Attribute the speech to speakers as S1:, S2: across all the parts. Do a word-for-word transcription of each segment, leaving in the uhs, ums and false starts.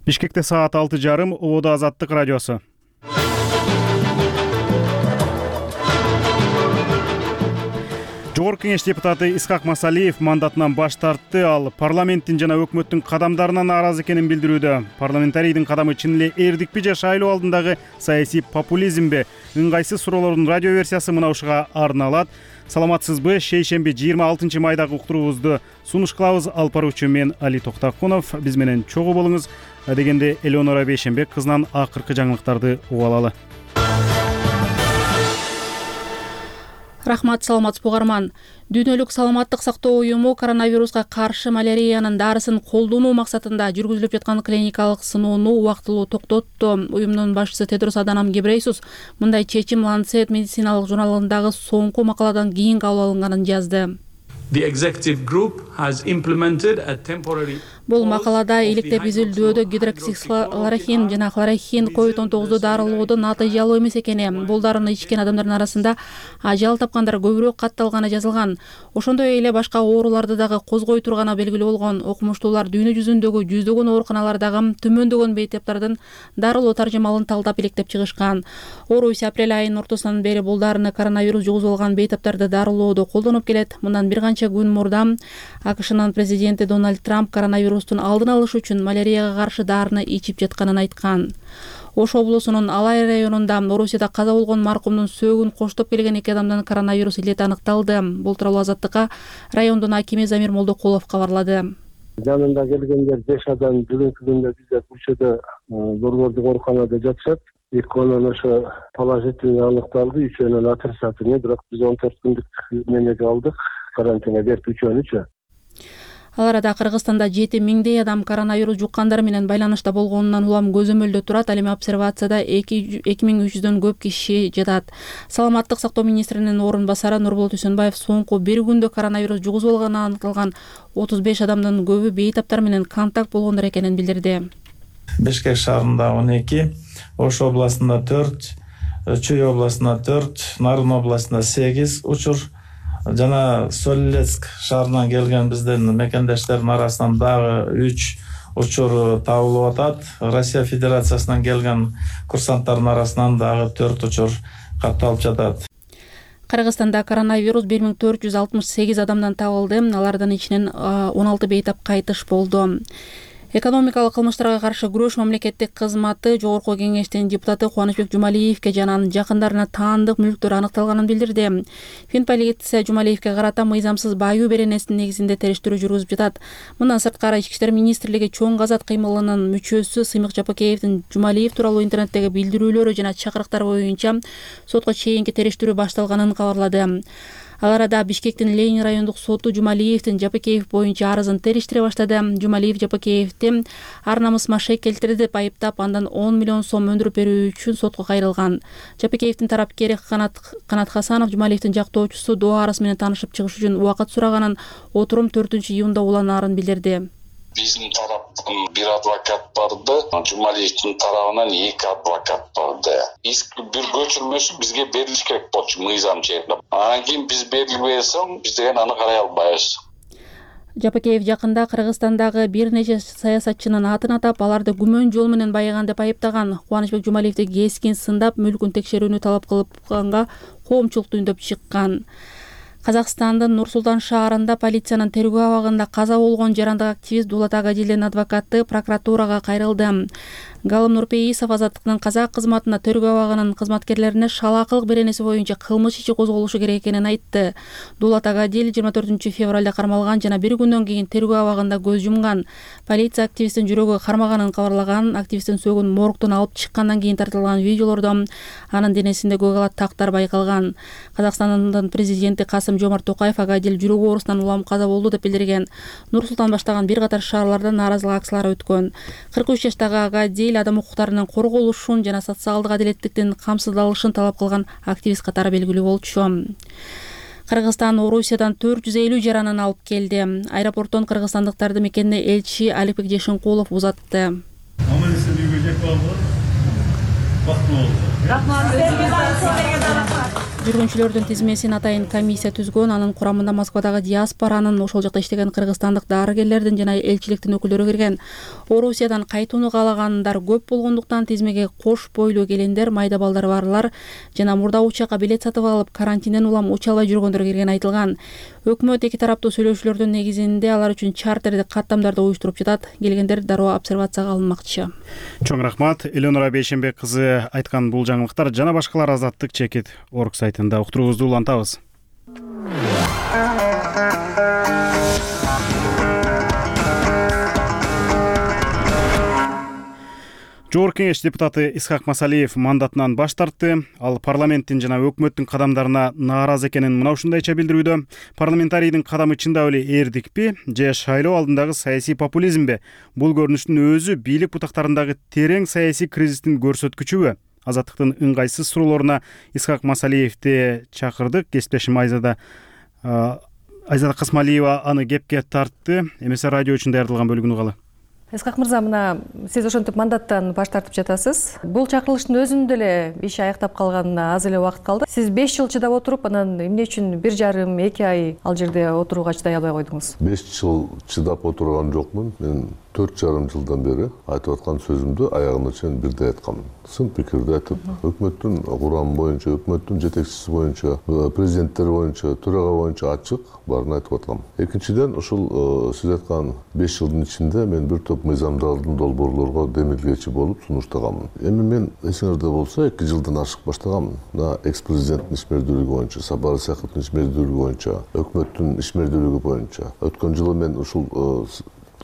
S1: Бишкекте саат алты жарым, Ободо Азаттык радиосу. Жогорку кеңеш депутаты Исхак Масалиев мандатынан баш тартты. Ал парламенттин жана өкмөттүн кадамдарына нааразы экенин билдирүүдө. Парламентарийдин кадамы чын эле эрдикпи же шайлоо алдындагы саясий популизмби? Ыңгайсыз суроолордун радио версиясы мына ушуга арналат. Саламатсызбы? Шейшемби жыйырма алтынчы майдагы уктуруубузду сунуш кылабыз. Алып баруучу мен Али Токтакунов. Биз менен чогуу болуңуз. Дегенде Элеонора Бейшенбек кызынан акыркы жаңылыктарды угуп алалы.
S2: Рахмат, саламатсызбы угарман. Дүйнөлүк саламаттык сактоо уюму коронавируска каршы маляриянын дарысын колдонуу максатында жүргүзүлүп жаткан клиникалык сыноону убактылуу токтотту. Уюмдун башчысы Тедрос Аданом Гебрейсус мындай чечим Lancet медициналык журналындагы соңку макаладан кийин кабыл алынганын жазды.
S3: The executive group has implemented a temporary
S2: Бул макалада иликтеп изилдөөдө гидроксихлорохин жана хлорохин ковид он тогузду дарылоодо натыйжалуу эмес экени, бул дарыны ичкен адамдардын арасында ажал тапкандар көбүрөөк катталганы жазылган. Ошондой эле башка ооруларды дагы козгой турганы белгилүү болгон. Окумуштуулар дүйнө жүзүндөгү жүздөгөн ооруканалардагы төмөндөгөн бейтаптардын дарылоо таржымалын талдап иликтеп чыгышкан. Орус апрель айынын ортосунан бери бул дарыны коронавирус жугузуп алган бейтаптарды дарылоодо колдонуп келет. Мындан бир канча күн мурда АКШнын президенти Дональд Трамп коронавирус алдын алыш үчүн малярияга каршы дарыны ичип жатканын айткан. Ош облусунун Алай районунда Орусияда каза болгон маркумдун сөөгүн коштоп келген эки адамдан коронавирус илети аныкталды. Бул тууралуу Азаттыкка райондун акими Замир Молдокулов кабарлады.
S4: Жанында келгендер беш адам бүгүнкү күндө бизде көчөдө борбордук ооруканада жатышат. Экөөнөн ошо положительный аныкталды, үчөөнөн отрицательный, бирок биз он төрт күндүк менеге алдык. Карантинге берип үчөөнүчү.
S2: Ал арада Кыргызстанда жети миңдей адам коронавирус жуккандар менен байланышта болгонунан улам көзөмөлдө турат. Ал эми обсервацияда эки миң үч жүздөн көп киши жатат. Саламаттык сактоо министринин орун басары Нурболот Үсөнбаев соңку бир күндө коронавирус жугузуп алганы аныкталган отуз беш адамдын көбү бейтаптар менен контакт болгондор экенин билдирди.
S5: Бишкек шаарында он эки, Ош областында төрт, Чүй областында төрт, Нарын областында сегиз учур жана Солилецк шаарынан келген биздин мекендештердин арасынан дагы үч учур табылып атат. Россия Федерациясынан келген курсанттардын арасынан дагы төрт учур катталып жатат.
S2: Кыргызстанда коронавирус бир миң төрт жүз алтымыш сегиз адамдан табылды. Алардын ичинен он алты бейтап кайтыш болду. Экономикалык кылмыштарга каршы күрөш мамлекеттик кызматы Жогорку кеңештин депутаты Кубанычбек Жумалиевке жана анын жакындарына таандык мүлктөр аныкталганын билдирди. Финполиция Жумалиевке карата мыйзамсыз баюу беренесинин негизинде териштирүү жүргүзүп жатат. Мындан сырткары Ички иштер министрлиги чоң казат кыймылынын мүчөсү Сыймык Жапакеевдин Жумалиев тууралуу интернеттеги билдирүүлөрү жана чакырыктар боюнча сотко чейинки териштирүү башталганын кабарлады. Ал арада Бишкектин Ленин райондук соту Жумалиевдин Жапакеев боюнча арызын териштире баштады. Жумалиев Жапакеевди ар намыс машек келтирди деп айыптап, андан он миллион сом өндүрүп берүү үчүн сотко кайрылган. Жапакеевдин тарапкери Канат Канат Хасанов Жумалиевдин жактоочусу доо арасы менен таанышып чыгыш үчүн убакыт сураганын, отурум төртүнчү июнда уланаарын билдирди.
S6: Биздин тараптан бир адвокат барды, Жумалиевдин тарабынан эки адвокат барды. Иск бир көчүрмөсү бизге берилиш керек болчу мыйзам чегинде. Анан кийин биз берилбей соң биз деген аны карай албайбыз.
S2: Жапакеев жакында Кыргызстандагы бир нече саясатчынын атын атап, аларды күмөн жол менен байыган деп айыптаган. Кубанычбек Жумалиевди кескин сындап, мүлкүн текшерүүнү талап кылганга коомчулук түндөп чыккан. Казакстандын Нур-Султан шаарында полициянын тергөө абагында каза болгон жарандык активист Дулат Агадилдин адвокаты прокуратурага кайрылды. Галым Нурпейисов Азаттыктын казак кызматына тергөө абагынын кызматкерлерине шалаакылык беренеси боюнча кылмыш иши козголушу керек экенин айтты. Дулат Агадил жыйырма төртүнчү февралда кармалган жана бир күндөн кийин тергөө абагында көз жумган. Полиция активисттин жүрөгү кармаганын кабарлаган. Активисттин сөөгүн моргтон алып чыккандан кийин тартылган видеолордо анын денесинде көк тактар байкалган. Казакстандын президенти Касым Жомарт Токаев Агадил жүрөк оорусунан улам каза болду деп билдирген. Нур-Султан баштаган бир катар шаарларда нааразылык акциялары өткөн. кырк үч жаштагы Агадил адам укуктарынын корголушун жана социалдык адилеттиктин камсыздалышын талап кылган активист катары белгилүү болчу. Кыргызстан Орусиядан төрт жүз элүү жаранын алып келди. Аэропорттон кыргызстандыктарды мекенине элчи Аликбек Жешинкулов узатты. жүргүнчүлөрдүн тизмесин атайын комиссия түзгөн. Анын курамында Москвадагы диаспоранын, ошол жакта иштеген кыргызстандык дарыгерлердин жана элчиликтин өкүлдөрү кирген. Орусиядан кайтууну каалагандар көп болгондуктан тизмеге кош бойлуу келендер, майда балдары барлар жана мурда учакка билет сатып алып карантинден улам уча албай жүргөндөр кирген айтылган. Өкмөт эки тараптуу сүйлөшүүлөрдүн негизинде алар үчүн чартердик каттамдарды уюштуруп жатат. Келгендер дароо обсервацияга алынмакчы.
S1: Чоң рахмат. Элеонора Бейшенбек кызы айткан бул жаңылыктар жана башкалар азаттык чекит орг сайтында уктуруубузду улантабыз. Жогорку Кеңеш депутаты Исхак Масалиев мандатынан баш тартты. Ал парламенттин жана өкмөттүн кадамдарына нааразы экенин мына ушундайча билдирүүдө. Парламентарийдин кадамы чындап эле эрдикпи же шайлоо алдындагы саясий популизмби? Бул көрүнүштүн өзү бийлик бутактарындагы терең саясий кризистин көрсөткүчүбү? Азаттыктын ыңгайсыз суроолоруна Исхак Масалиевди чакырдык. Кесиптешим Айзада Айзада Касмалиева аны кепке тартты. МСР радио үчүн даярдалган бөлүгүнү угалы.
S7: Исхак мырза, мына сиз ошентип мандаттан баш тартып жатасыз. Бул чакырылыштын өзүндө эле иши аяктап калганына аз эле убакыт калды. Сиз беш жыл чыдап отуруп, анан эмне үчүн бир жарым, эки ай ал жерде отурууга чыдай албай койдуңуз?
S8: беш жыл чыдап отурган жокмун. Мен төрт жарым жылдан бери айтып аткан сөзүмдү аягына чейин бирдей айтканмын. Сын пикирди айтып, өкмөттүн курамы боюнча, өкмөттүн жетекчиси боюнча, президенттери боюнча, төрага боюнча ачык баарын айтып аткам. Экинчиден, ушул сиз айткан беш жылдын ичинде мен бир топ мыйзамдардын долбоорлорго демилгечи болуп сунуштаганмын. Эми мен эсиңерде болсо эки жылдан ашык баштаганмын. Мына экс-президенттин ишмердүүлүгү боюнча, Сапар Исаковдун ишмердүүлүгү боюнча, өкмөттүн ишмердүүлүгү боюнча. Өткөн жылы мен ушул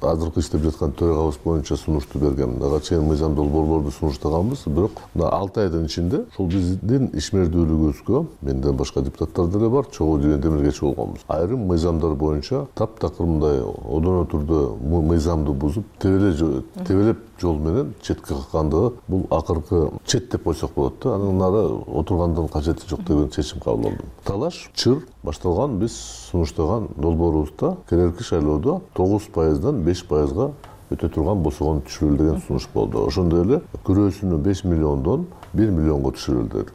S8: азыркы иштеп жаткан төрагабыз боюнча сунушту бергем. Ага чейин мыйзам долбоорлорду сунуштаганбыз, бирок мына алты айдын ичинде ушул биздин ишмердүүлүгүбүзгө менден башка депутаттар деле бар, чогуу деген демилгечи болгонбуз. Айрым мыйзамдар боюнча таптакыр мындай одоно түрдө мыйзамды бузуп, тебелеп тебелеп жол менен четке каккандыгы бул акыркы чет деп койсок болот да. Анын нары отургандан кажети жок деген чечим кабыл алдым. Талаш, чыр башталган, биз сунуштаган долбоорубузда келерки шайлоодо тогуз пайыздан беш пайызга өтө турган босогон түшүрүлү деген сунуш болду. Ошондой эле күрөөсүнү беш миллиондон бир миллионго түшүрүлдү дедик.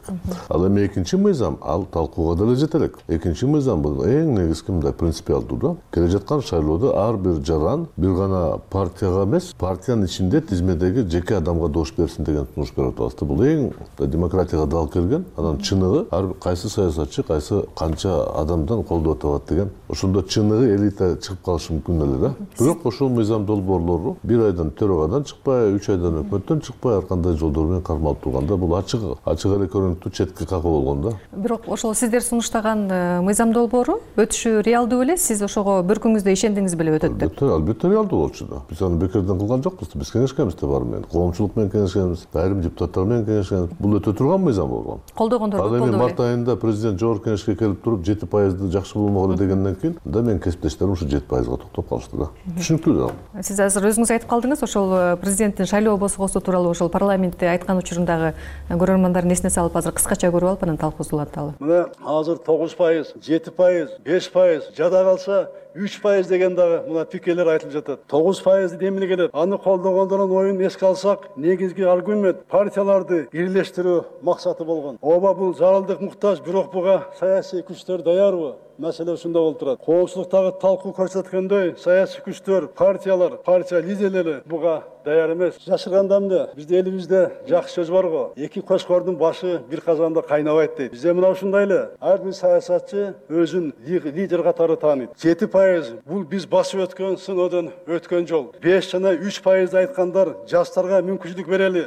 S8: Ал эми экинчи мыйзам, ал талкууга деле жете элек. Экинчи мыйзам бул эң негизги мындай принципиалдуу да. Келе жаткан шайлоодо ар бир жаран бир гана партияга эмес, партиянын ичинде тизмедеги жеке адамга добуш берсин деген сунуш берип атабыз. Бул эң демократияга дал келген, анан чыныгы ар кайсы саясатчы, кайсы канча адамдан колдоп атабат деген. Ошондо чыныгы элита чыгып калышы мүмкүн эле да. Бирок ошол мыйзам долбоорлору бир айдан төрагадан чыкпай, үч айдан өкмөттөн чыкпай, ар кандай жолдор менен кармалып турганда бул ачык ачык эле көрүнүктүү четке какуу болгон да.
S7: Бирок ошол сиздер сунуштаган мыйзам долбоору өтүшү реалдуу беле? Сиз ошого бүркүңүздө ишендиңиз беле өтөт деп?
S8: Албетте реалдуу болчу да. Биз аны бекерден кылган жокпуз. Биз кеңешкенбиз да баары менен. Коомчулук менен кеңешкенбиз, айрым депутаттар менен кеңешкенбиз. Бул өтө турган мыйзам болгон.
S7: Колдогондор көп болду.
S8: Ал эми март айында президент жогорку кеңешке келип туруп жети пайызды жакшы болмок эле дегенден кийин да мен кесиптештерим ушу жети пайызга токтоп калышты да. Түшүнүктүү да.
S7: Сиз азыр өзүңүз айтып калдыңыз, ошол президенттин шайлоо босгосу тууралуу ошол парламентте айткан учурундагы көрөрмандардын эсине салып азыр кыскача көрүп алып анан талкуубузду уланталы.
S9: Мына азыр тогуз пайыз, жети пайыз, беш пайыз, жада калса үч пайыз деген дагы мына пикирлер айтылып жатат. тогуз пайызды эмне келет? Аны колдогондордун оюн эске алсак, негизги аргумент партияларды бирлештирүү максаты болгон. Ооба бул зарылдык муктаж, бирок буга саясий күчтөр даярбы? Маселе ушунда болуп турат. Коомчулуктагы талкуу көрсөткөндөй, саясий күчтөр, партиялар, партия лидерлери буга даяр эмес. Жашырганда эмне? Биздин элибизде жакшы сөз бар го. Эки кошкордун башы бир казанда кайнабайт дейт. Бизде мына ушундай эле. Ар бир саясатчы өзүн лидер катары тааныйт. жети пайыз бул биз басып өткөн сыноодон өткөн жол. беш жана үч пайызды айткандар жаштарга мүмкүнчүлүк берели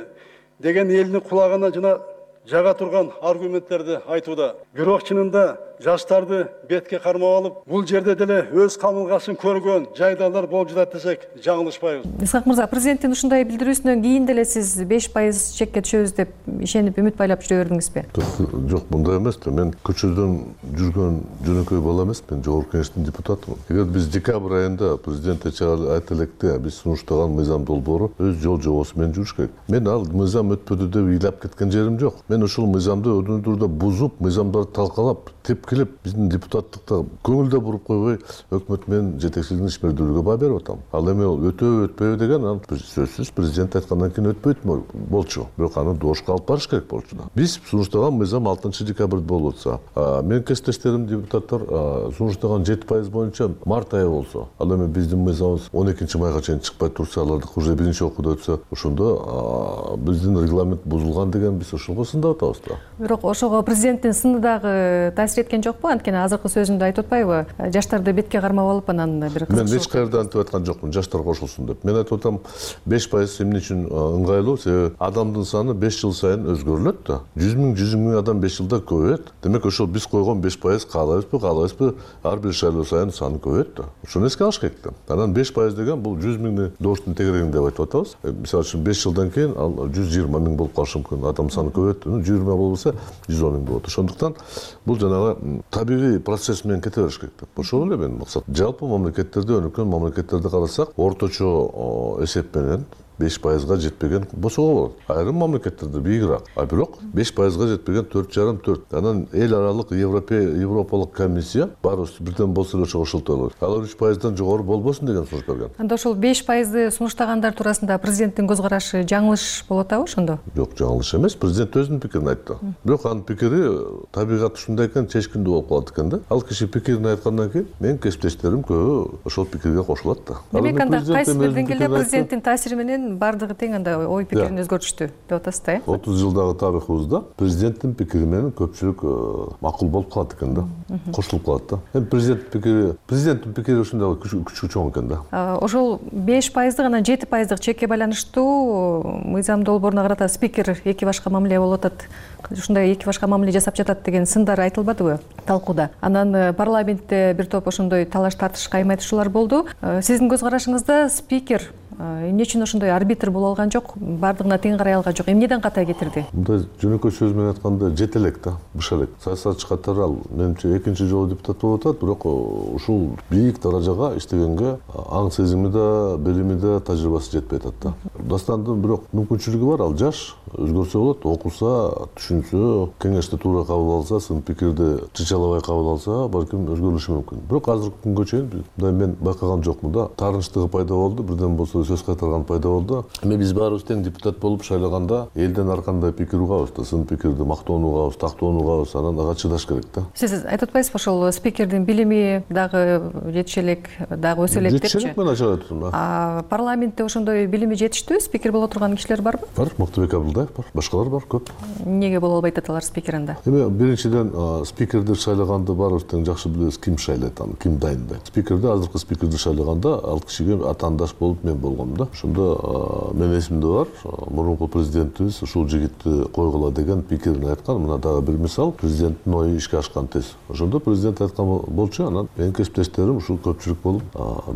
S9: деген элдин кулагына жана жага турган аргументтерди айтууда. Бирок чынында жаштарды бетке кармап алып, бул жерде деле өз камылгасын көргөн жайдалар болуп жатат десек жаңылышпайбыз.
S7: Исхак мырза, президенттин ушундай билдирүүсүнөн кийин деле сиз беш пайыз чекке түшөбүз деп ишенип үмүт байлап жүрө бердиңизби?
S8: Жок, мындай эмес да. Мен көчөдөн жүргөн жөнөкөй бала эмесмин, жогорку кеңештин депутатымын. Эгер биз декабрь айында президент айта электе биз сунуштаган мыйзам долбоору өз жол жобосу менен жүрүш керек. Мен ал мыйзам өтпөдү деп ыйлап кеткен жерим жок. Мен ушул мыйзамды өдүндүрдө бузуп, мыйзамдарды талкалап, теп келип келип биздин депутаттыкта көңүл да буруп койбой өкмөт менен жетекчилигин ишмердүүлүгүгө баа берип атам. Ал эми өтөбү өтпөйбү деген анан сөзсүз президент айткандан кийин өтпөйт болчу. Бирок аны дошко алып барыш керек болчу да. Биз сунуштаган мыйзам алтынчы декабрда болуп атса, менин кесиптештерим депутаттар сунуштаган жети пайыз боюнча март айы болсо, ал эми биздин мыйзамыбыз он экинчи майга чейин чыкпай турса, алардык уже биринчи окууда өтсө, ошондо биздин регламент бузулган деген биз ошого сындап атабыз да.
S7: Бирок ошого президенттин сыны дагы таасир эткен жокпу? Анткени азыркы сөзүндө айтып атпайбы? Жаштарды бетке кармап алып анан бир
S8: мен эч каерда антип айткан жокмун, жаштар кошулсун деп. Мен айтып атам, беш пайыз эмне үчүн ыңгайлуу? Себеби адамдын саны беш жыл сайын өзгөрүлөт да. жүз миң жүз миң адам беш жылда көбөйөт. Демек ошол биз койгон беш пайыз каалайбызбы, каалабайбызбы, ар бир шайлоо сайын саны көбөйөт да. Ошону эске алыш керек да. Анан беш пайыз деген бул жүз миңди добуштун тегерегин деп айтып атабыз. Мисалы үчүн беш жылдан кийин ал жүз жыйырма миң болуп калышы мүмкүн. Адам саны көбөйөт, жүз жыйырма болбосо жүз он миң болот. Ошондуктан бул жанагы табигый процесс менен кете бериш керек деп. Ошол эле менин максат. Жалпы мамлекеттерде, өнүккөн мамлекеттерди карасак, орточо эсеп менен беш пайызга жетпеген босого болот. Айрым мамлекеттерде бийигирээк. А бирок беш пайызга жетпеген төрт жарым төрт. Анан эл аралык Европалык комиссия баарыбыз бирден болсо эле ошого кошултуп алат. Алар үч пайыздан жогору болбосун деген сунуш берген.
S7: Анда ошол беш пайызды сунуштагандар туурасында президенттин көз карашы жаңылыш болуп атабы ошондо?
S8: Жок, жаңылыш эмес. Президент өзүнүн пикирин айтты. Бирок анын пикири табигат ушундай экен, чечкиндүү болуп калат экен да. Ал киши пикирин айткандан кийин менин кесиптештерим көбү ошол пикирге кошулат да.
S7: Демек анда кайсы бир деңгээлде президенттин таасири менен баардыгы тең анда ой пикирин өзгөртүштү деп атасыз да, э?
S8: отуз жылдагы тарыхыбызда президенттин пикири менен көпчүлүк макул болуп калат экен да. Кошулуп калат да. Эми президенттин пикири, президенттин пикири ушундай күчү чоң экен да.
S7: Ошол беш пайыздык анан жети пайыздык чекке байланыштуу мыйзам долбооруна карата спикер эки башка мамиле болуп атат. Ушундай эки башка мамиле жасап жатат деген сындар айтылбадыбы талкууда? Анан парламентте бир топ ошондой талаш тартыш кайма айтышуулар болду. Сиздин көз карашыңызда спикер эмне үчүн ошондой арбитр боло алган жок, баардыгына тең карай алган жок, эмнеден ката кетирди?
S8: Мындай жөнөкөй сөз менен айтканда жете элек да, быша элек. Саясатчы катары ал менимче экинчи жолу депутат болуп атат, бирок ушул бийик даражага иштегенге аң сезими да, билими да, тажрыйбасы жетпей атат да. Дастандын бирок мүмкүнчүлүгү бар, ал жаш, өзгөрсө болот, окуса, түшүнсө, кеңешти туура кабыл алса, сын пикирди чычалабай кабыл алса, балким өзгөрүшү мүмкүн. Бирок азыркы күнгө чейин мындай мен байкаган жокмун да. Таарынчтыгы пайда болду, бирден болсо сөз кайтарган пайда болду. Эми биз баарыбыз тең депутат болуп шайлаганда элден ар кандай пикир угабыз да, сын пикирди мактоону угабыз, тактоону угабыз, анан ага чыдаш керек да.
S7: Сиз айтып атпайсызбы, ошол спикердин билими дагы жетише элек, дагы өсө элек депчи?
S8: Жетише элек, мен ачык айтып атам да.
S7: А парламентте ошондой билими жетиштүү спикер боло турган кишилер барбы?
S8: Бар, Мактыбек Абылдаев бар, башкалар бар, көп.
S7: Эмнеге боло албайт аталар спикер анда?
S8: Эми биринчиден спикерди шайлаганды баарыбыз тең жакшы билебиз, ким шайлайт аны, ким дайындайт. Спикерди, азыркы спикерди шайлаганда ал кишиге атаандаш болуп мен болгом да. Ошондо менин эсимде бар, мурунку президентибиз ушул жигитти койгула деген пикирин айткан. Мына дагы бир мисал, президенттин ою ишке ашкан тез. Ошондо президент айткан болчу, анан менин кесиптештерим ушул көпчүлүк болуп,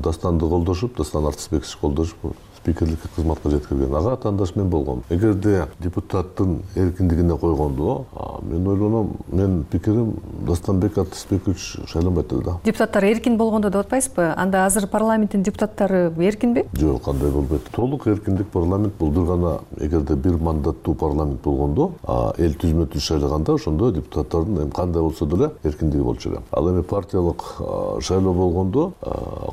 S8: Дастанды колдошуп, Дастан Артысбекович колдошуп спикерликке кызматка жеткирген. Ага атаандаш мен болгом. Эгерде депутаттын эркиндигине койгондо, мен ойлоном, менин пикирим Дастанбек Артысбекович шайланбайт да.
S7: Депутаттар эркин болгондо деп атпайсызбы? Анда азыр парламенттин депутаттары эркинби?
S8: Жок, кандай болбойт. Толук эркиндик парламент бул бир гана, эгерде бир мандаттуу парламент болгондо, эл түзмө түз шайлаганда, ошондо депутаттардын эми кандай болсо деле эркиндиги болчу эле. Ал эми партиялык шайлоо болгондо,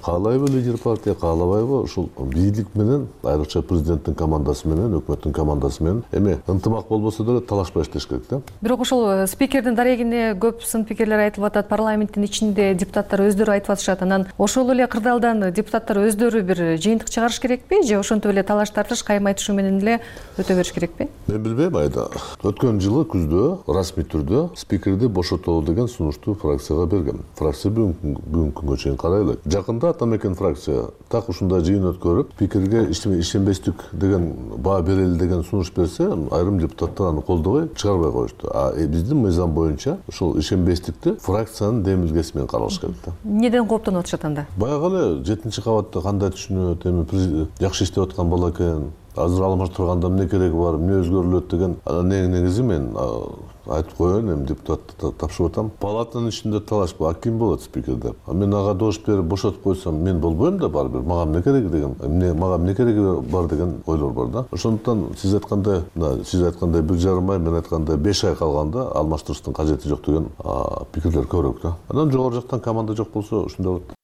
S8: каалайбы лидер партия, каалабайбы, ушул бийлик менен, айрыкча президенттин командасы менен, өкмөттүн командасы менен эми ынтымак болбосо деле талашпай иштеш керек да.
S7: Бирок ошол спикердин дарегине көп сын пикирлер айтылып атат, парламенттин ичинде депутаттар өздөрү айтып атышат. Анан ошол эле кырдаалдан депутаттар өздөрү бир жыйынтык чыгарыш керекпи же ошентип эле талаш тартыш кайма айтышуу менен эле өтө бериш керекпи?
S8: Мен билбейм айда. Өткөн жылы күздө расмий түрдө спикерди бошотолу деген сунушту фракцияга берген. Фракция бүгүнкү күнгө чейин карай элек. Жакында Атамекен фракция так ушундай жыйын өткөрүп, спикерге ишенбестик деген баа берели деген сунуш берсе, айрым депутаттар аны колдобой чыгарбай коюшту. А биздин мыйзам боюнча ошол ишенбестикти фракциянын демилгеси менен каралыш керек да.
S7: Неден кооптонуп атышат анда?
S8: Баягы эле жетинчи кабатта кандай түшүнөт, эми жакшы иштеп аткан бала экен, азыр алмаштырганда эмне кереги бар, эмне өзгөрүлөт деген анан эң негизи мен айтып коеюн, эми депутатты тапшырып атам. Палатанын ичинде талаш бар, ким болот спикер деп. А мен ага добуш берип бошотуп койсом, мен болбойм да барбыр. Мага эмне кереги деген, эмне мага эмне кереги бар деген ойлор бар да. Ошондуктан сиз айткандай, сиз айткандай бир жарым ай, мен айткандай беш ай калганда алмаштырыштын кажети жок деген пикирлер көбүрөөк да. Анан жогору жактан команда жок болсо ушундай болот.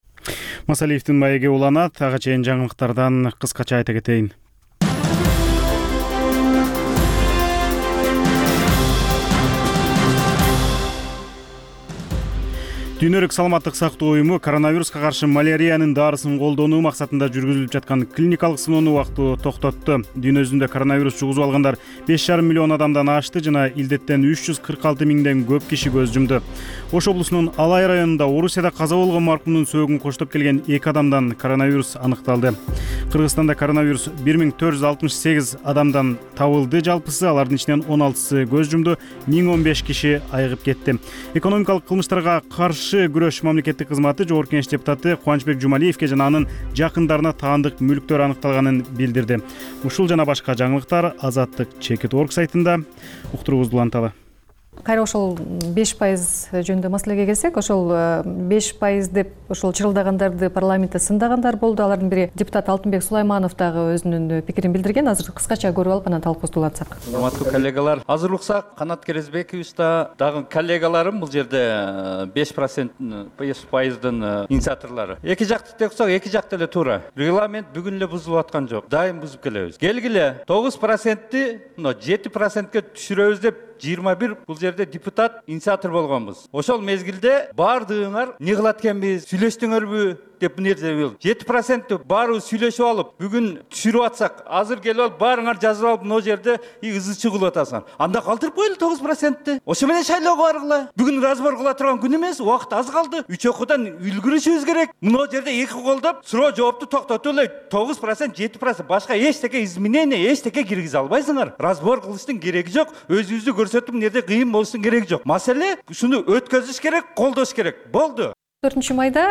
S1: Масалиевдин маеги уланат. Ага чейин жаңылыктардан кыскача айта кетейин. Дүйнөлүк саламаттык сактоо уюму коронавируска каршы малариянын дарысын колдонуу максатында жүргүзүлүп жаткан клиникалык сыноону убактылуу токтотту. Дүйнө жүзүндө коронавирус жугузуп алгандар беш жарым миллион адамдан ашты жана илдеттен үч жүз кырк алты миңден көп киши көз жумду. Ош облусунун Алай районунда Орусияда каза болгон маркумдун сөөгүн коштоп келген эки адамдан коронавирус аныкталды. Кыргызстанда коронавирус бир миң төрт жүз алтымыш сегиз адамдан табылды. Жалпысы алардын ичинен он алтысы көз жумду, миң он беш киши айыгып кетти. Экономикалык кылмыштарга каршы күрөш мамлекеттик кызматы Жогорку Кеңеш депутаты Кубанычбек Жумалиевке жана анын жакындарына таандык мүлктөр аныкталганын билдирди. Ушул жана башка жаңылыктар Азаттык Чекит орг сайтында. Уктуруубузду уланталы.
S7: Кайра ошол беш пайыз жөнүндө маселеге келсек, ошол беш пайыз деп ошол чырылдагандарды парламентте сындагандар болду. Алардын бири депутат Алтынбек Сулайманов дагы өзүнүн пикирин билдирген. Азыр кыскача көрүп алып анан талкуубузду улантсак.
S10: Урматтуу коллегалар, азыр уксак Канат Керезбекович да дагы коллегаларым бул жерде беш пайыздын инициаторлору. Эки жакты тексок, эки жакта эле туура. Регламент бүгүн эле бузулуп аткан жок. Дайым бузуп келебиз. Келгиле тогуз процентти мына жети процентке түшүрөбүз деп жыйырма бир бул жерде депутат инициатор болгонбуз. Ошол мезгилде баардыгыңар эмне кылат экенбиз, сүйлөштүңөрбү деп бул жерде жети процентти баары сүйлөшүп алып, бүгүн түшүрүп атсак, азыр келип алып баарыңар жазып алып, мына жерде ызы чуу кылып атасыңар. Анда калтырып коелу тогуз процентти. Ошо менен шайлоого баргыла. Бүгүн разбор кыла турган күн эмес, убакыт аз калды. Үч окуудан үлгүрүшүбүз керек. Мына жерде эки колдоп, суроо жоопту токтотуп эле тогуз процент, жети процент башка эчтеке изменение, эчтеке киргизе албайсыңар. Разбор кылыштын кереги жок. Өзүбүздү көрсөтүп, эмнеде кыйын болуштун кереги жок. Маселе ушуну өткөзүш керек, колдош керек. Болду.
S7: төртүнчү майда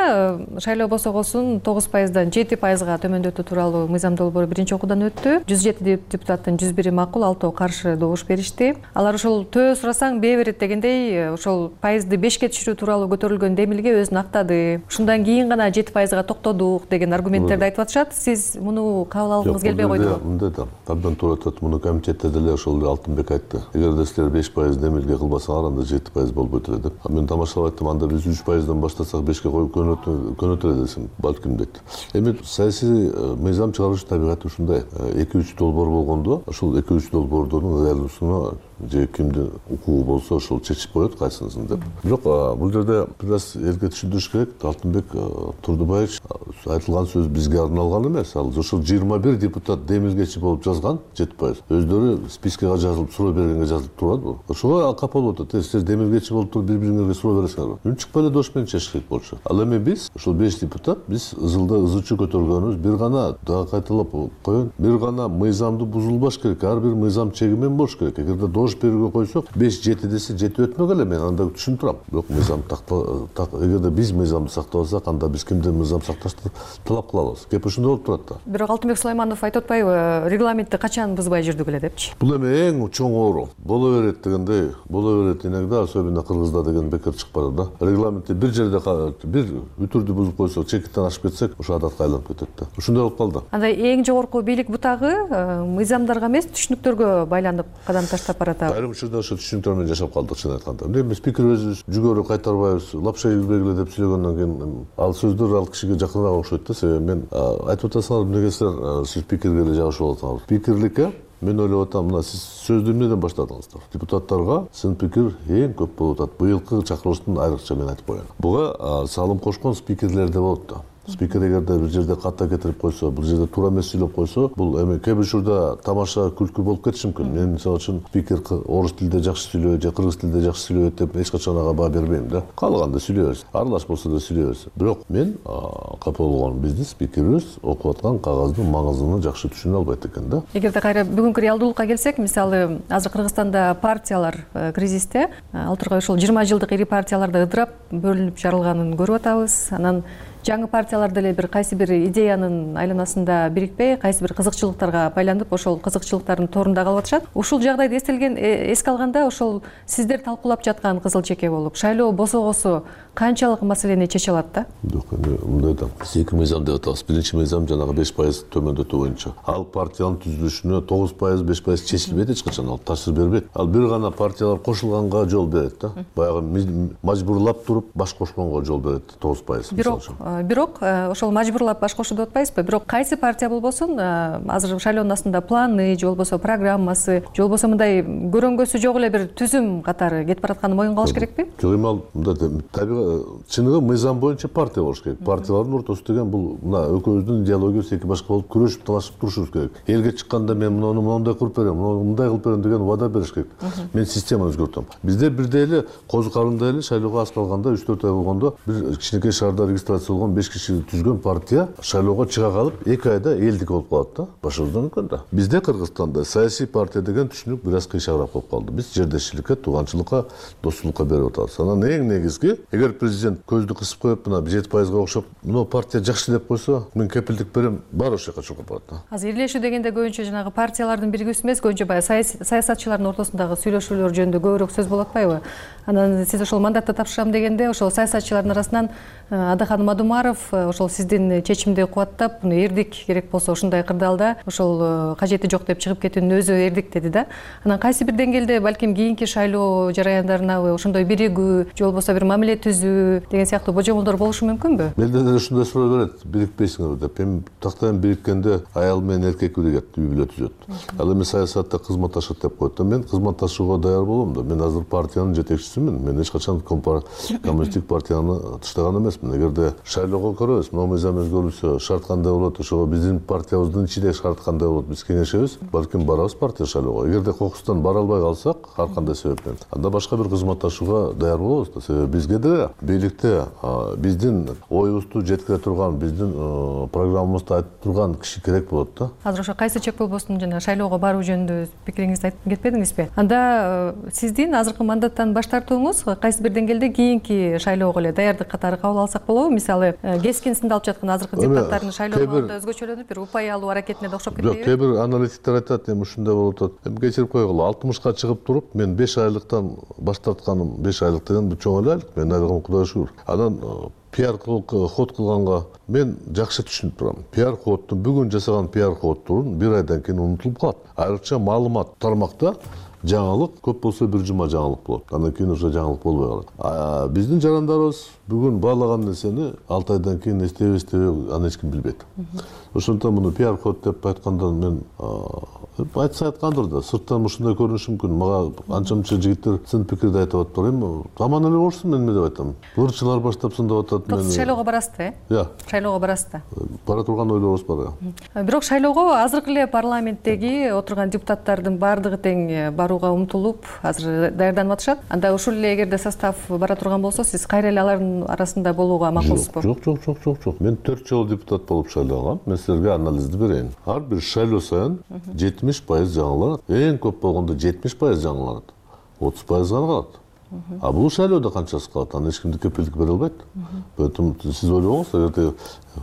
S7: шайлоо босогосун тогуз пайыздан жети пайызга төмөндөтүү тууралуу мыйзам долбоору биринчи окуудан өттү. жүз жети депутаттын жүз бири макул, алтоо каршы добуш беришти. Алар ошол төө сурасаң бээ берет дегендей ошол пайызды бешке түшүрүү тууралуу көтөрүлгөн демилге өзүн актады. Ушундан кийин гана жети пайызга токтодук деген аргументтерди айтып атышат. Сиз муну кабыл алгыңыз келбей койдубу?
S8: Мындай да, абдан туура айтат. Муну комитетте деле ошол Алтынбек айтты. Эгерде силер беш пайыз демилге кылбасаңар, анда жети пайыз болбойт эле деп. Мен тамашалап айттым, анда биз үч пайыздан баштасак бешке коюп көнөт эле десем, балким дейт. Эми саясий мыйзам чыгарыш табигаты ушундай. эки үч долбоор болгондо, ошол эки үч долбоордун ырайлуусуна же кимдин укугу болсо ошол чечип коет кайсынысын деп. Бирок бул жерде бир аз элге түшүндүрүш керек. Алтынбек Турдубаевич айтылган сөз бизге арналган эмес. Ал ошол жыйырма бир депутат демилгечи болуп жазган жети пайыз. Өздөрү спискеге жазылып, суроо бергенге жазылып турат. Ошого капа болуп атат. Силер демилгечи болуп туруп бири-бириңерге суроо бересиңерби? Үн чыкпай эле дош менен чечиш керек болчу. Ал эми биз ошол беш депутат биз ызылда ызы чуу көтөргөнүбүз, бир гана дагы кайталап коеюн, бир гана мыйзамды бузулбаш керек. Ар бир мыйзам чегимен болуш керек. Эгерде дош берүүгө койсок, беш жети десе жети өтмөк эле, мен анда түшүнүп турам. Бирок мыйзам эгерде биз мыйзамды сактабасак, анда биз кимден мыйзам сакташты талап кыла алабыз. Кеп ушундай болуп турат да.
S7: Бирок Алтынбек Сулайманов айтып атпайбы, регламентти качан бузбай жүрдүк эле депчи.
S8: Бул эми эң чоң оору. Боло берет дегендей, боло берет инегде, особенно Кыргызда деген бекер чыгып барат да. Регламентти бир жерде бир үтүрдү бузуп койсок, чекиттен ашып кетсек, ошо адатка айланып кетет да. Ушундай болуп калды.
S7: Анда эң жогорку бийлик бутагы мыйзамдарга эмес, түшүнүктөргө байланып кадам таштап барат.
S8: Айрым учурда ошо түшүнүктөр менен жашап калдык, чын айтканда. Эмне спикер өзүбүз жүгөрү кайтарбайбыз, лапша ийгилбегиле деп сүйлөгөндөн кийин ал сөздөр ал кишиге жакыныраак окшойт да. Себеби мен айтып атасыңар, эмнеге силер сиз спикерге эле жабышып атасыңар. Спикерликке мен ойлоп атам, мына сиз сөздү эмнеден баштадыңыздар? Депутаттарга сын пикир эң көп болуп атат. Быйылкы чакырылыштын айрыкча мен айтып коеюн. Буга салым кошкон спикерлер да болот да. Спикер эгерде бир жерде катта кетирип койсо, бул жерде туура эмес сүйлөп койсо, бул эми кээ бир учурда тамаша күлкү болуп кетиши мүмкүн. Мен мисалы үчүн спикер орус тилинде жакшы сүйлөбөйт же кыргыз тилинде жакшы сүйлөбөйт деп эч качан ага баа бербейм да. Каалаганда сүйлөй берсин. Аралаш болсо да сүйлөй берсин. Бирок мен капа болгон биздин спикерибиз окуп аткан кагаздын маңызын жакшы түшүнө албайт экен да.
S7: Эгерде кайра бүгүнкү реалдуулукка келсек, мисалы азыр Кыргызстанда партиялар кризисте, ал тургай ушул жыйырма жылдык ири партияларда ыдырап бөлүнүп жарылганын көрүп атабыз. Анан жаңы партиялар деле бир кайсы бир идеянын айланасында бирикпей, кайсы бир кызыкчылыктарга байланып, ошол кызыкчылыктардын торунда калып атышат. Ушул жагдайды эстелген эске алганда, ошол сиздер талкуулап жаткан кызыл чеке болуп, шайлоо босогосу канчалык маселени чече алат да?
S8: Жок, эми мындай да. Биз эки мыйзам деп атабыз. Биринчи мыйзам жанагы беш пайыз төмөндөтүү боюнча. Ал партиянын түзүлүшүнө тогуз пайыз, беш пайыз чечилбейт эч качан, ал таасир бербейт. Ал бир гана партиялар кошулганга жол берет да. Баягы мажбурлап туруп баш кошконго жол берет тогуз пайыз.
S7: Бирок, бирок ошол мажбурлап баш кошуу деп атпайбызбы? Бирок кайсы партия болбосун, азыр шайлоонун астында планы, же болбосо программасы, же болбосо мындай көрөнгөсү жок эле бир түзүм катары кетип баратканын моюнга алыш керекпи?
S8: Жок, эми ал мындай чыныгы мыйзам боюнча партия болуш керек. Партиялардын ортосу деген бул мына экөөбүздүн идеологиябыз эки башка болуп күрөшүп талашып турушубуз керек. Элге чыкканда мен муну моундай кылып берем, муну мындай кылып берем деген вада бериш керек. Мен системаны өзгөртөм. Бизде бирдей эле козукарымда эле шайлоого аз калганда үч төрт ай болгондо бир кичинекей шаарда регистрация болгон беш киши түзгөн партия шайлоого чыга калып эки айда элдик болуп калат да. Башкыруудан өткөн да. Бизде Кыргызстанда саясий партия деген түшүнүк бир аз кыйшагыраак болуп калды. Биз жердешчиликке, тууганчылыкка, достуулукка берип атабыз. Анан эң негизги, эгер президент көздү кысып коюп мына жети пайызга окшоп, мына партия жакшы деп койсо, мен кепилдик берем, баары ошол жака чогулуп барат да.
S7: Азыр ирлешүү дегенде көбүнчө жанагы партиялардын биригүүсү эмес, көбүнчө баягы саясатчылардын ортосундагы сүйлөшүүлөр жөнүндө көбүрөөк сөз болуп атпайбы? Анан сиз ошол мандатты тапшырам дегенде, ошол саясатчылардын арасынан Адахан Мадумаров ошол сиздин чечимди кубаттап, муну эрдик керек болсо ушундай кырдаалда ошол кажети жок деп чыгып кетүүнүн өзү эрдик деди да. Анан кайсы бир деңгээлде балким кийинки шайлоо жараяндарына ошондой биригүү, же болбосо бир мамиле түзүү деген сыяктуу божомолдор болушу мүмкүнбү?
S8: Менде деле ушундай суроо берет, бирикпейсиңерби деп. Эми тактайм бириккенде аял менен эркек биригет, үй бүлө түзөт. Ал эми саясатта кызматташат деп коет да. Мен кызматташууга даяр болом да. Мен азыр партиянын жетекчисимин. Мен эч качан коммунисттик партияны таштаган эмесмин. Эгерде шайлоого көрөбүз, мына мыйзам өзгөрүлсө, шарт кандай болот, ошого биздин партиябыздын ичинде шарт кандай болот, биз кеңешебиз. Балким барабыз партия шайлоого. Эгерде кокустан бара албай калсак, ар кандай себептен, анда башка бир кызматташууга даяр болобуз да. Себеби бизге деле бийликте биздин оюбузду жеткире турган, биздин программабызды айтып турган киши керек болот да.
S7: Азыр ошо кайсы чек болбосун жана шайлоого баруу жөнүндө пикириңизди айтып кетпедиңизби? Анда сиздин азыркы мандаттан баш тартууңуз кайсы бир деңгээлде кийинки шайлоого эле даярдык катары кабыл алсак болобу? Мисалы, кескин сындалып жаткан азыркы депутаттардын шайлоого өзгөчөлөнүп, бир упай алуу аракетине да окшоп кетпейби?
S8: Жок, кээ бир аналитиктер айтат, эми ушундай болуп атат. Эми кечирип койгула, алтымышка чыгып туруп, мен беш айлыктан баш тартканым, беш айлык деген чоң эле айлык. Мен айлыгым Кудайга шүгүр. Анан пиар ход кылганга мен жакшы түшүнүп турам. Пиар ходту бүгүн жасаган пиар ходтун бир айдан кийин унутулуп калат. Айрыкча маалымат тармакта жаңылык көп болсо бир жума жаңылык болот. Андан кийин уже жаңылык болбой калат. Биздин жарандарыбыз бүгүн баалаган нерсени алты айдан кийин эстейби эстебей аны эч ким билбейт. Ошондон муну пиар ход деп айткандан мен айтса айткандыр да, сырттан ушундай көрүнүшү мүмкүн. Мага анча мынча жигиттер сын пикирди айтып атыптыр. Эми таман эле болушсун, мен эмне деп айтам. Ырчылар баштап сындап атат мени.
S7: Шайлоого барасызбы, э?
S8: Иә.
S7: Шайлоого барасызбы?
S8: Бара турган ойлорубуз бар.
S7: Бирок шайлоого азыркы эле парламенттеги отурган депутаттардын баардыгы тең барууга умтулуп, азыр даярданып атышат. Анда ушул эле эгерде состав бара турган болсо, сиз кайра эле алардын арасында болууга макулсузбу?
S8: Жок, жок, жок, жок, жок. Мен төрт жолу депутат болуп шайлангам. Мен силерге анализди берейин. Ар бир шайлоо сайын жетимиш пайыз жаңыланат. Эң көп болгондо жетимиш пайыз жаңыланат. отуз пайыз гана калат. А бул шайлоодо канчасы калат? Аны эч кимди кепилдик бере албайт. Поэтому сиз ойлоңуз, эгерде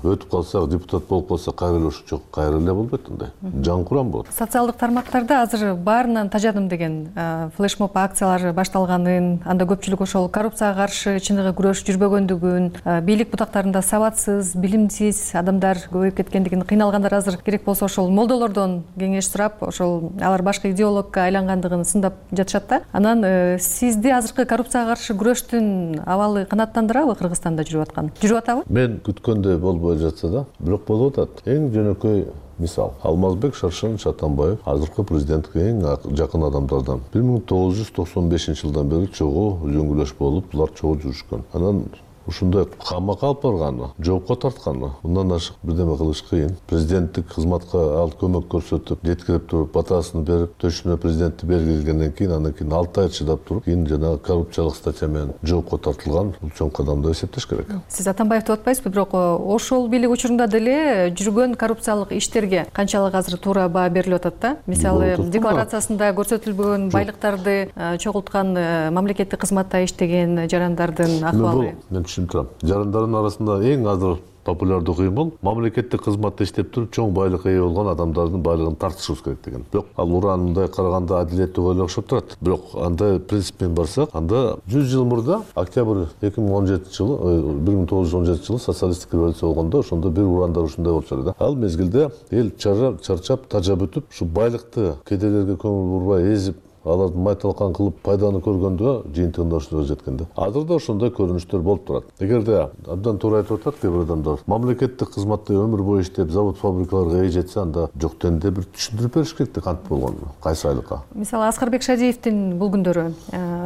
S8: өтүп калсак, депутат болуп калсак, кайра эле ушунча кайра эле болбойт андай. Жан курам болот.
S7: Социалдык тармактарда азыр баарынан тажадым деген флешмоб акциялары башталганын, анда көпчүлүк ошол коррупцияга каршы чыныгы күрөш жүрбөгөндүгүн, бийлик бутактарында сабатсыз, билимсиз адамдар көбөйүп кеткендигин, кыйналгандар азыр керек болсо ошол молдолордон кеңеш сурап, ошол алар башкы идеологко айлангандыгын сындап жатышат да. Анан сизди азыркы коррупцияга каршы күрөштүн абалы канааттандырабы Кыргызстанда жүрүп аткан? Жүрүп атабы?
S8: Мен күткөндөй болбой жатса да, бирок болуп атат. Эң жөнөкөй мисал, Алмазбек Шаршен Шатанбаев азыркы президентке эң жакын адамдардан. бир миң тогуз жүз токсон бешинчи жылдан бери чогуу үзөңгүлөш болуп, булар чогуу жүрүшкөн. Анан ушундай камакка алып барганы, жоопко тартканы, мындан ашык бирдеме кылыш кыйын. Президенттик кызматка ал көмөк көрсөтүп, жеткирип туруп, батасын берип, төшүнө президентти бергилгенден кийин, андан кийин алты ай чыдап туруп, кийин жана коррупциялык статья менен жоопко тартылган, бул чоң кадам деп эсептеш керек.
S7: Сиз Атамбаевди атпайсызбы, бирок ошол бийлик учурунда деле жүргөн коррупциялык иштерге канчалык азыр туура баа берилип атат да? Мисалы, декларациясында көрсөтүлбөгөн байлыктарды чогулткан мамлекеттик кызматта иштеген жарандардын акыбалы.
S8: түшүнүп турам. Жарандардын арасында эң азыр популярдуу кыймыл мамлекеттик кызматта иштеп туруп чоң байлыкка ээ болгон адамдардын байлыгын тартышыбыз керек деген. Бирок ал уран мындай караганда адилеттүү ойло окшоп турат. Бирок андай принциппен барсак, анда жүз жыл мурда октябрь эки миң он жетинчи жылы, бир миң тогуз жүз он жетинчи жылы социалисттик революция болгондо ошондо бир урандар ушундай болчу эле да. Ал мезгилде эл чарчап, тажап өтүп, ушу байлыкты кедейлерге көңүл бурбай эзип, аларды майталкан кылып пайданы көргөндө жыйынтыгында ошондо жеткен да. Азыр да ошондой көрүнүштөр болуп турат. Эгерде абдан туура айтып атат кээ бир адамдар, мамлекеттик кызматта өмүр бою иштеп, завод фабрикаларга ээ жетсе, анда жок дегенде бир түшүндүрүп бериш керек да, кантип болгонун, кайсы айлыкка.
S7: Мисалы Аскарбек Шадиевдин бул күндөрү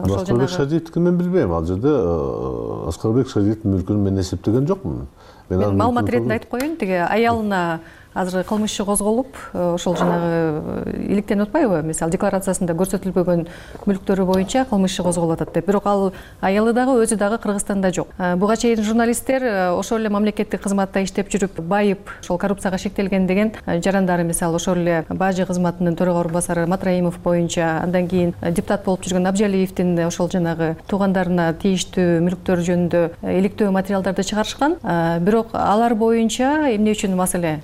S7: ошол
S8: Аскарбек Шадиевдики мен билбейм. Ал жерде Аскарбек Шадиевдин мүлкүн мен эсептеген жокмун.
S7: Мен маалымат иретинде айтып коеюн, тиги аялына азыр кылмыш иши козголуп, ошол жанагы иликтенип атпайбы? Мисалы декларациясында көрсөтүлбөгөн мүлктөрү боюнча кылмыш иши козголуп атат деп. Бирок ал аялы дагы өзү дагы Кыргызстанда жок. Буга чейин журналисттер ошол эле мамлекеттик кызматта иштеп жүрүп байып, ошол коррупцияга шектелген деген жарандары, мисалы ошол эле Бажы кызматынын төрага орун басары Матраимов боюнча, андан кийин депутат болуп жүргөн Абжалиевдин ошол жанагы туугандарына тийиштүү мүлктөр жөнүндө иликтөө материалдарды чыгарышкан. Бирок алар боюнча эмне үчүн маселе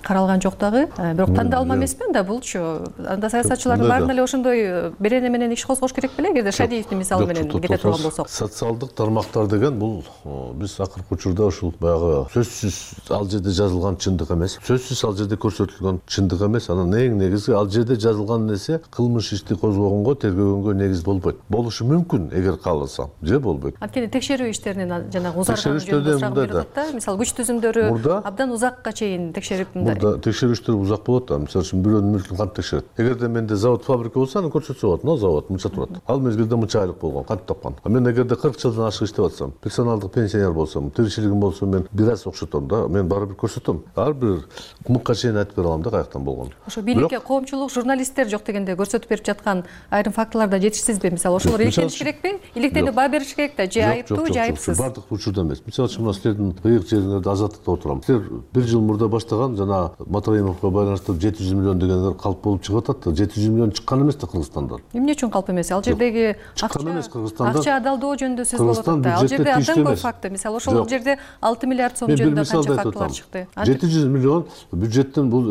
S7: каралган жок дагы. Бирок тандалма эмеспи анда булчу? Анда саясатчылардын баарын эле ошондой берене менен иш козгош керек беле, эгерде Шадиевдин мисалы менен кете турган болсок.
S8: Социалдык тармактар деген бул биз акыркы учурда ушул баягы сөзсүз ал жерде жазылган чындык эмес, сөзсүз ал жерде көрсөтүлгөн чындык эмес. Анан эң негизи ал жерде жазылган нерсе кылмыш ишти козгогонго, тергөгөнгө негиз болбойт. Болушу мүмкүн эгер кааласа, же болбойт.
S7: Анткени текшерүү иштеринин жанагы узарганы жөнүндө сурак берип атат да. Мисалы күч түзүмдөрү абдан узакка чейин текшерип
S8: Мурда текшерүүчтөр узак болот да. Мисалы үчүн бирөөнүн мүлкүн кантип текшерет? Эгерде менде завод фабрика болсо, аны көрсөтсө болот. Мына завод мынча турат. Ал мезгилде мынча айлык болгон, кантип тапкан? А мен эгерде кырк жылдан ашык иштеп атсам, персоналдык пенсионер болсом, тиричилигим болсо, мен бир аз окшотом да, мен бары бир көрсөтөм. Ар бир мыкка чейин айтып бере алам да каяктан болгонун.
S7: Ошо бийликке коомчулук, журналисттер жок дегенде көрсөтүп берип жаткан айрым фактыларда жетишсизби? Мисалы ошолор иликтениш керекпи? Иликтенип баа бериш керек да, же айыптуу, же айыпсыз?
S8: Бардык учурда эмес. Мисалы үчүн мына силердин ыйык жериңерде азаттыкта отурам. Силер бир жыл мурда баштаган жана Матраимовго байланыштуу жети жүз миллион дегендер калп болуп чыгып атат да. жети жүз миллион чыккан эмес да Кыргызстандан.
S7: Эмне үчүн калп эмес? Ал жердеги акча адалдоо жөнүндө сөз болуп атат да. Ал жерде абдан көп факты. Мисалы ошол жерде алты миллиард сом жөнүндө канча фактылар чыкты.
S8: жети жүз миллион бюджеттен бул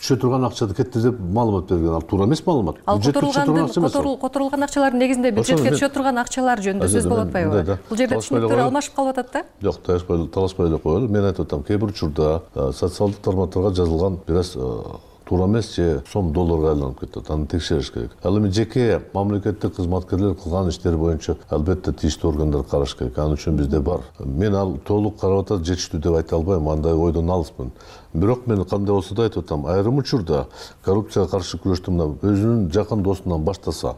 S8: түшө турган акчады кетти деп маалымат берген. Ал туура эмес маалымат.
S7: Бюджеттен которулган акчалардын негизинде бюджетке түшө турган акчалар жөнүндө сөз болуп атпайбы? Бул жерде түшүнүктөр алмашып калып атат да?
S8: Жок, талашпай эле коелу. Мен айтып атам, кээ бир учурда социалдык тармактарга жазылган бир аз туура эмес же сом долларга айланып кетет. Аны текшериш керек. Ал эми жеке мамлекеттик кызматкерлер кылган иштери боюнча албетте тийиштүү органдар караш керек. Ал үчүн бизде бар. Мен ал толук карап атат, жетиштүү деп айта албайм. Андай ойдон алыспын. Бирок мен кандай болсо да айтып атам, айрым учурда коррупцияга каршы күрөштү мына өзүнүн жакын досунан баштаса,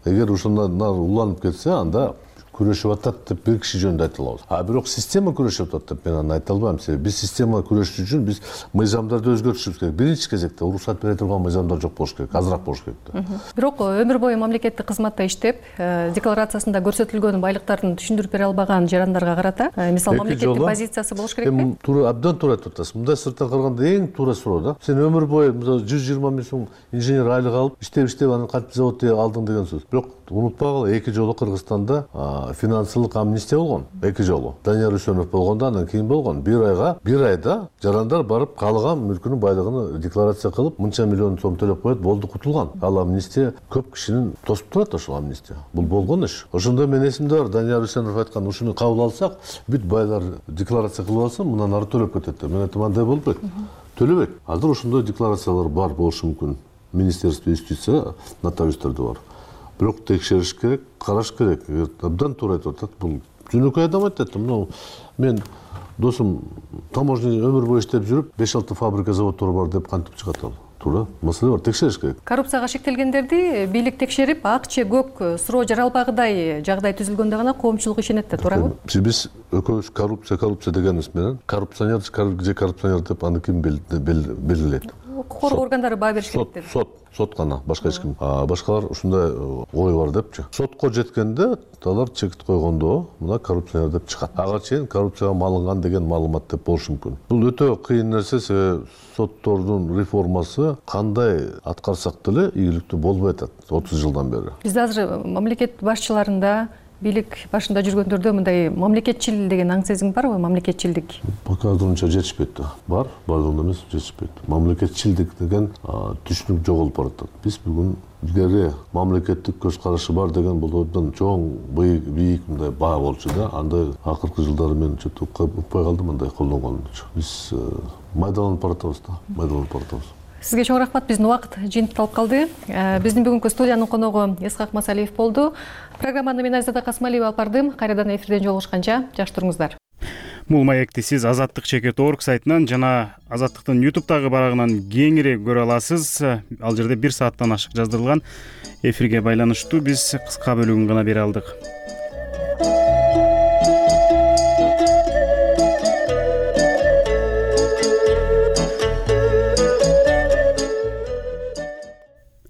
S8: эгер ошондон уланып кетсе, анда күрөшүп атат деп бир киши жөнүндө айта алабыз. А бирок система күрөшүп атат деп мен аны айта албайм. Себеби биз система күрөшүш үчүн биз мыйзамдарды өзгөртүшүбүз керек. Биринчи кезекте уруксат бере турган мыйзамдар жок болуш керек, азыраак болуш керек да.
S7: Бирок өмүр бою мамлекеттик кызматта иштеп, декларациясында көрсөтүлгөн байлыктарын түшүндүрүп бере албаган жарандарга карата, мисалы мамлекеттик позициясы болуш керекпи?
S8: Эми туура, абдан туура айтып атасыз. Мындай сырттан караганда эң туура суроо да. Сен өмүр бою жүз жыйырма миң сом инженер айлык алып, иштеп-иштеп анан кантип заводду алдың деген сөз. Бирок унутпагыла, эки жолу Кыргызстанда финансылык амнистия болгон. Эки жолу. Данияр Үсөнов болгондо, андан кийин болгон. Бир айга, бир айда жарандар барып каалаган мүлкүнүн байлыгын декларация кылып, мынча миллион сом төлөп коет, болду, кутулган. Ал амнистия көп кишинин тосуп турат ошол амнистия. Бул болгон иш. Ошондо мен эсимде бар, Данияр Үсөнов айткан, ушуну кабыл алсак, бүт байлар декларация кылып алса, мындан ары төлөп кетет деп. Мен айтам, андай болбойт. Төлөбөйт. Азыр ошондой декларациялар бар болушу мүмкүн. Министерство юстиция нотариустарда бар. Бирок текшериш керек, караш керек. Абдан туура айтып атат. Бул жөнөкөй адам айтат. Мына мен досум таможня өмүр бою иштеп жүрүп, беш алты фабрика, заводдор бар деп кантип чыгат ал? Туура, маселе бар, текшериш керек.
S7: Коррупцияга шектелгендерди бийлик текшерип, ак же көк суроо жаралбагыдай жагдай түзүлгөндө гана коомчулук ишенет да, туурабы?
S8: Биз экөөбүз коррупция, коррупция дегенибиз менен коррупционер же коррупционер деп аны ким белгилейт?
S7: Укук коргоо органдары баа бериш керек деди.
S8: Сот, сот гана, башка эч ким. Башкалар ушундай ой бар депчи. Сотко жеткенде алар чекит койгондо мына коррупционер деп чыгат. Ага чейин коррупцияга малынган деген маалымат деп болушу мүмкүн. Бул өтө кыйын нерсе, себеби соттордун реформасы кандай аткарсак деле ийгиликтүү болбой атат отуз жылдан бери.
S7: Бизде азыр мамлекет башчыларында бийлик башында жүргөндөрдө мындай мамлекетчил деген аң сезим барбы? Мамлекетчилдик
S8: пока азырынча жетишпейт да. Бар, бардыгында эмес, жетишпейт. Мамлекетчилдик деген түшүнүк жоголуп баратат. Биз бүгүн илгери мамлекеттик көз карашы бар деген бул абдан чоң, бийик мындай баа болчу да. Андай акыркы жылдары мен чөтү укпай калдым андай колдонгончу. Биз майдаланып баратабыз да, майдаланып баратабыз.
S7: Сизге чоң рахмат. Биздин убакыт жыйынтыкталып калды. Биздин бүгүнкү студиянын коногу Исхак Масалиев болду. Программаны мен Айзада Касмалиева алып бардым. Кайрадан эфирден жолугушканча жакшы туруңуздар.
S1: Бул маекти сиз азаттык чекит точка орг сайтынан жана Азаттыктын ютубтагы барагынан кеңири көрө аласыз. Ал жерде бир сааттан ашык жаздырылган эфирге байланыштуу биз кыска бөлүгүн гана бере алдык.